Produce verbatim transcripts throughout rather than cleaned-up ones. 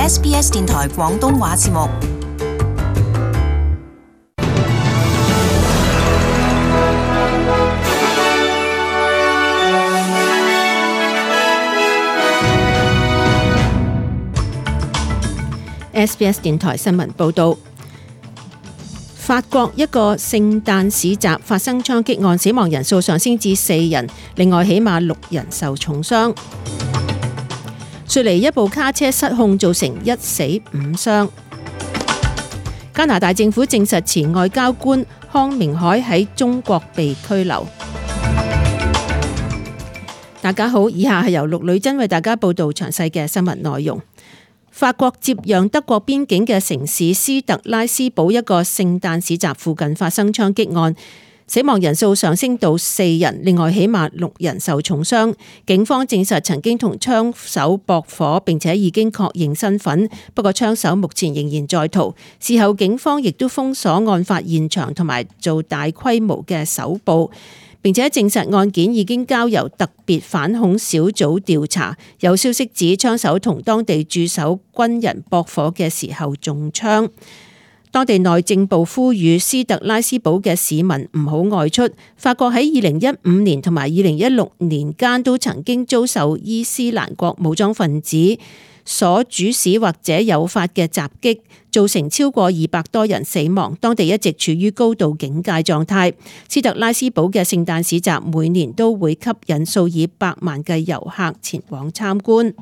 S B S 電台廣東話節目。S B S 電台新聞報導，法國一個聖誕市集發生槍擊案，死亡人數上升至四人，另外起碼六人受重傷。雪梨一部卡車失控，造成一死五傷。加拿大政府證實前外交官康明凱喺中國被拘留。大家好，以下係由陸女珍為大家報道詳細嘅新聞內容。法國接壤德國邊境嘅城市斯特拉斯堡一個聖誕市集附近發生槍擊案，死亡人數上升到四人，另外起碼六人受重傷。警方證實曾經同槍手駁火，並且已經確認身份，不過槍手目前仍然在逃。事後警方亦都封鎖案發現場同埋做大規模嘅搜捕，並且證實案件已經交由特別反恐小組調查。有消息指槍手同當地駐守軍人駁火嘅時候中槍。當地內政部呼籲斯特拉斯堡嘅市民唔好外出。法國喺二零一五年同埋二零一六年間都曾經遭受伊斯蘭國武裝分子所主使或者誘發嘅襲擊，造成超過二百多人死亡。當地一直處於高度警戒狀態。斯特拉斯堡嘅聖誕市集每年都會吸引數以百萬嘅遊客前往參觀。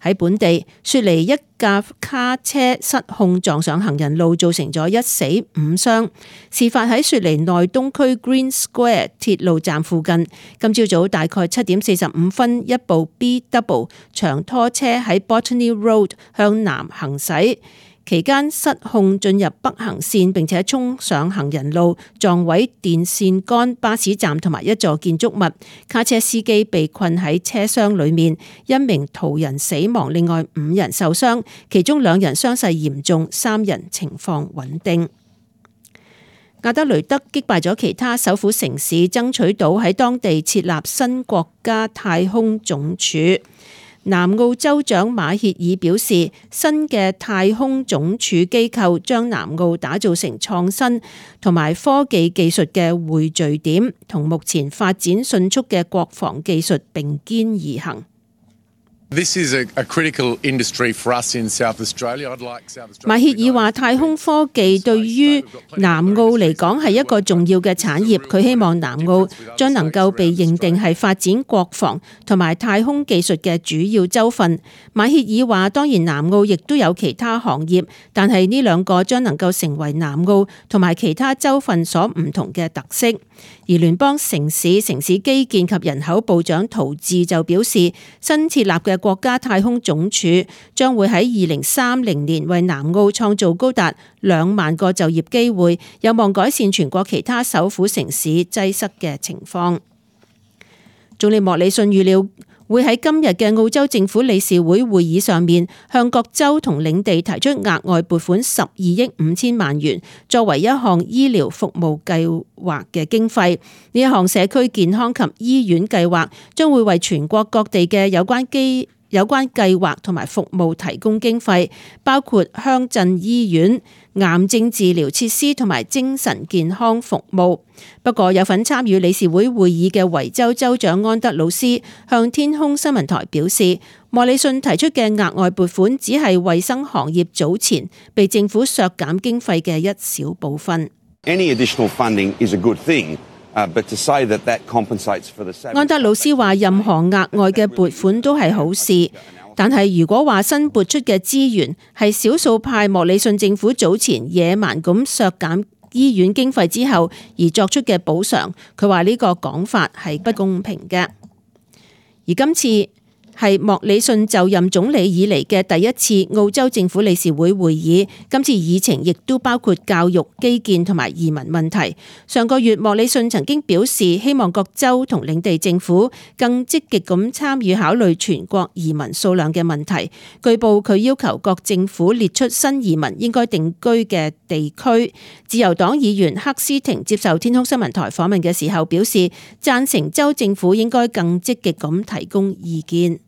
喺本地，雪梨一架卡車失控撞上行人路，造成咗一死五傷。事發喺雪梨內東區 Green Square 鐵路站附近。今朝早大概七點四十五分，一部 B W 長拖車喺 Botany Road 向南行駛，期間失控進入北行線，並且衝上行人路，撞毀電線桿、巴士站同埋一座建築物。卡車司機被困喺車廂裏面，一名途人死亡，另外五人受傷，其中兩人傷勢嚴重，三人情況穩定。阿德雷德擊敗咗其他首府城市，爭取到喺當地設立新國家太空總署。南澳州長馬歇爾表示，新嘅太空總署機構將南澳打造成創新同埋科技技術嘅匯聚點，同目前發展迅速嘅國防技術並肩而行。This is a, a critical industry for us in South Australia. I'd like South Australia. 馬歇爾話：太空科技對於南澳嚟講係一個重要嘅產業。佢希望南澳將能夠被認定係發展國防同埋太空技術嘅主要州份。馬歇爾話：當然南澳亦都有其他行業，但係呢兩個將能夠成為南澳同埋其他州份所唔同嘅特色。而聯邦城市城市基建及人口部長陶治就表示，新設立嘅國家太空總署將會喺二零三零年為南澳創造高達兩萬個就業機會，有望改善全國其他首府城市擠塞嘅情況。總理莫里遜預料會喺今日嘅澳洲政府理事會會議上面，向各州同領地提出額外撥款十二億五千萬元，作為一項醫療服務計劃嘅經費。呢一項社區健康及醫院計劃將會為全國各地嘅有關機有關計劃同埋服務提供經費，包括鄉鎮醫院、癌症治療設施同埋精神健康服務。不過，有份參與理事會會議嘅維州州長安德魯斯向天空新聞台表示，莫里遜提出嘅額外撥款只係衛生行業早前被政府削減經費嘅一小部分。Any additional funding is a good thing. Uh, but to say that that compensates for the savings... 安德魯斯話：任何額外嘅撥款都係好事，但係如果話新撥出嘅資源係少數派莫里遜政府早前野蠻咁削減醫院經費之後而作出嘅補償，佢話呢個講法係不公平嘅。而今次係莫里遜就任總理以嚟嘅第一次澳洲政府理事會會議，今次議程亦都包括教育、基建同埋移民問題。上個月莫里遜曾經表示，希望各州同領地政府更積極咁參與考慮全國移民數量嘅問題。據報佢要求各政府列出新移民應該定居嘅地區。自由黨議員克斯廷接受天空新聞台訪問嘅時候表示，贊成州政府應該更積極咁提供意見。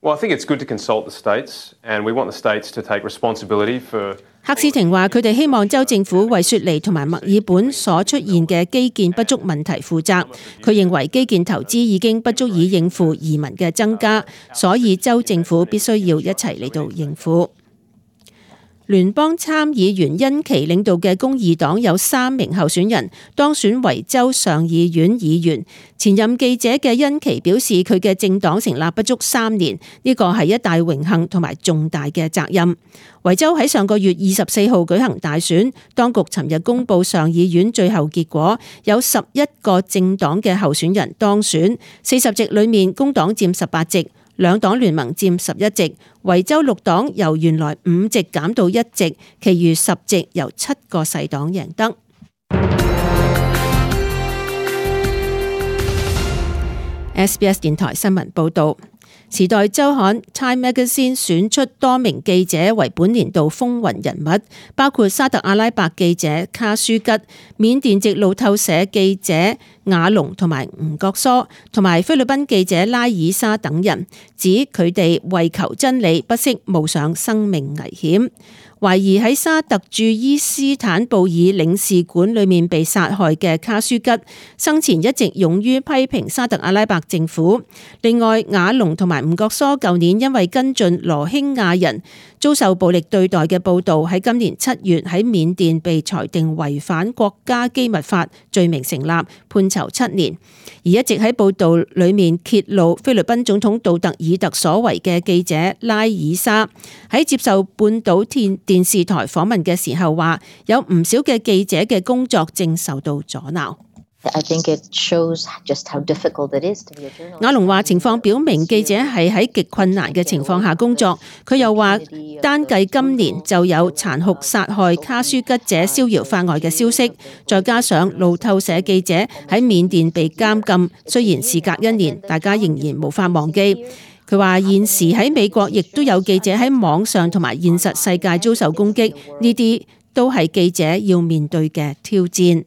Well, I think it's good to consult the states, and we want the states to take responsibility for。赫斯廷話：佢哋希望州政府為雪梨同埋墨爾本所出現嘅基建不足問題負責。佢認為基建投資已經不足以應付移民嘅增加，所以州政府必須要一齊嚟到應付。聯邦參議員恩琪領導嘅公義黨有三名候選人當選為州上議院議員。前任記者嘅恩琪表示，佢嘅政黨成立不足三年，呢個係一大榮幸同埋重大嘅責任。維州喺上個月二十四號舉行大選，當局尋日公布上議院最後結果，有十一個政黨嘅候選人當選，四十席裏面工黨佔十八席。兩黨聯盟佔十一席，維州綠黨由原來五席減到一席，其餘十席由七個細黨贏得。S B S 電台新聞報導。時代週刊 Time Magazine 選出多名記者為本年度風雲人物，包括沙特阿拉伯記者卡舒吉、緬甸籍路透社記者瓦龍同埋吳國疏，同埋菲律賓記者拉爾沙等人，指佢哋為求真理，不惜冒上生命危險。懷疑喺沙特駐伊斯坦布爾領事館裏面被殺害嘅卡舒吉，生前一直勇於批評沙特阿拉伯政府。另外，瓦龍同埋吳國疏舊年因為跟進羅興亞人遭受暴力對待嘅報導，喺今年七月喺緬甸被裁定違反國家機密法罪名成立，判囚七年。而一直喺報導裏面揭露菲律賓總統杜特爾特所為嘅記者拉爾沙，喺接受半島電電視台訪問嘅時候話，有唔少嘅記者嘅工作正受到阻撓。瓦龍話情況表明記者係喺極困難嘅情況下工作。佢又話單計今年就有殘酷殺害卡舒吉者逍遙法外嘅消息，再加上路透社記者喺緬甸被監禁，雖然事隔一年，大家仍然無法忘記。佢話現時喺美國亦都有記者喺網上同埋現實世界遭受攻擊，呢啲都係記者要面對嘅挑戰。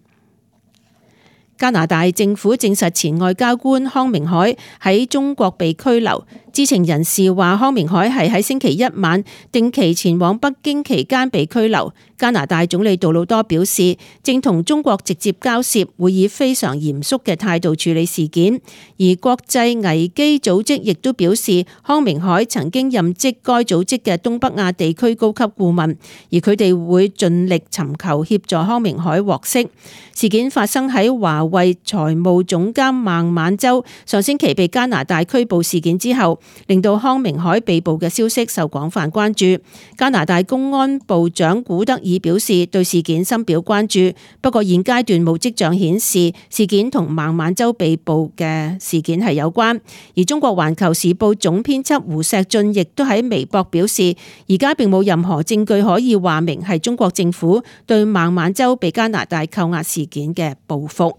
加拿大政府證實前外交官康明凱喺中國被拘留。知情人士話，康明凱係喺星期一晚定期前往北京期間被拘留。加拿大總理杜魯多表示，正同中國直接交涉，會以非常嚴肅嘅態度處理事件。而國際危機組織亦都表示，康明凱曾經任職該組織嘅東北亞地區高級顧問，而佢哋會盡力尋求協助康明凱獲釋。事件發生喺華為財務總監孟晚舟上星期被加拿大拘捕事件之後，令到康明凱被捕嘅消息受廣泛關注。加拿大公安部長古德爾表示對事件深表關注，不過現階段冇跡象顯示事件同孟晚舟被捕嘅事件係有關。而中國環球時報總編輯胡錫進亦都喺微博表示，而家並冇任何證據可以話明係中國政府對孟晚舟被加拿大扣押事件嘅報復。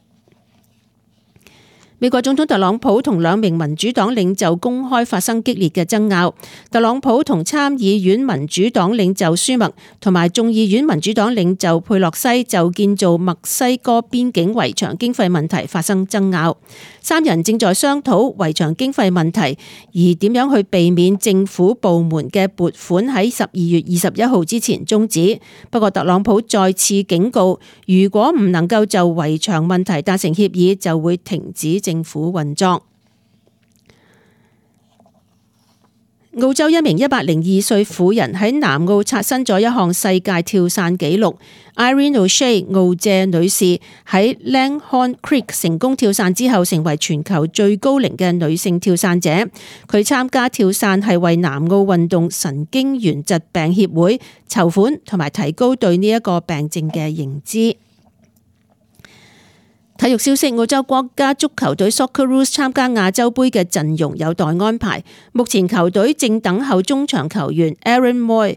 美國總統特朗普同兩名民主黨領袖公開發生激烈嘅爭拗。特朗普同參議院民主黨領袖舒默同埋眾議院民主黨領袖佩洛西就建造墨西哥邊境圍牆經費問題發生爭拗。三人正在商討圍牆經費問題，而點樣去避免政府部門嘅撥款喺十二月二十一號之前終止。不過特朗普再次警告，如果唔能夠就圍牆問題達成協議，就會停止政府運作。澳洲一名一百零二歲婦人喺南澳刷新咗一項世界跳傘紀錄。Irene O'Shea 澳謝女士喺 Langhorne Creek 成功跳傘之後，成為全球最高齡嘅女性跳傘者。佢參加跳傘係為南澳運動神經元疾病協會籌款，同埋提高對呢一個病症嘅認知。體育消息，澳洲國家足球隊 Socceroos 參加亞洲盃嘅陣容有待安排。目前球隊正等候中場球員 Aaron Moy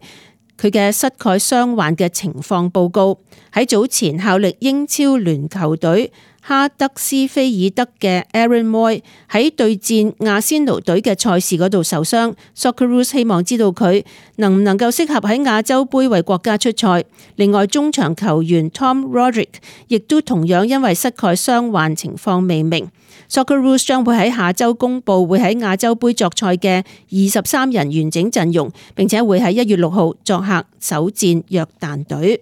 佢嘅膝蓋傷患嘅情況報告。喺早前效力英超聯球隊哈德斯菲爾德嘅 Aaron Moy 喺對戰阿仙奴隊嘅賽事嗰度受傷。Socceroos 希望知道佢能唔能夠適合喺亞洲盃為國家出賽。另外，中場球員 Tom Roderick 亦都同樣因為膝蓋傷患，情況未明。Socceroos 將會喺下週公佈會喺亞洲盃作賽嘅二十三人完整陣容，並且會喺一月六號作客首戰約旦隊。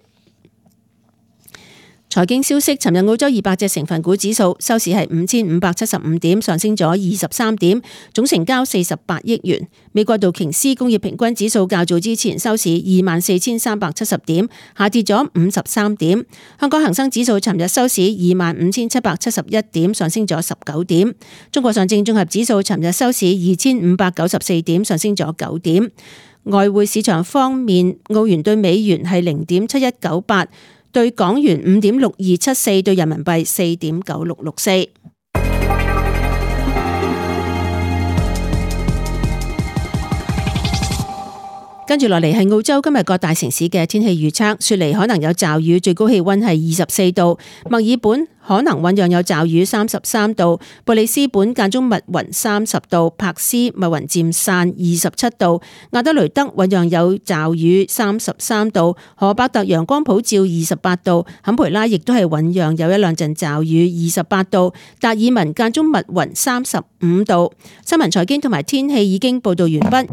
財經消息，尋日澳洲二百隻成分股指數收市係五千五百七十五點，上升咗二十三點，總成交四十八億元。美國道瓊斯工業平均指數較早之前收市二萬四千三百七十點，下跌咗五十三點。香港恒生指數尋日收市二萬五千七百七十一點，上升咗十九點。中國上證綜合指數尋日收市二千五百九十四點，上升咗九點。外匯市場方面，澳元對美元係零點七一九八。對港元五點六二七四，對人民幣四點九六六四。跟住落嚟係澳洲今日各大城市嘅天氣預測，雪梨可能有驟雨，最高氣溫係二十四度；墨爾本可能醞釀有驟雨，三十三度；布里斯本間中密雲，三十度；柏斯密雲漸散，二十七度；亞德雷德醞釀有驟雨，三十三度；荷伯特陽光普照，二十八度；坎培拉亦都係醞釀有一兩陣驟雨，二十八度；達爾文間中密雲，三十五度。新聞財經同埋天氣已經報道完畢。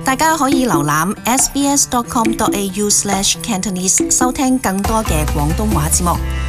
大家可以瀏覽 s b s dot com dot a u slash cantonese 收聽更多嘅廣東話節目。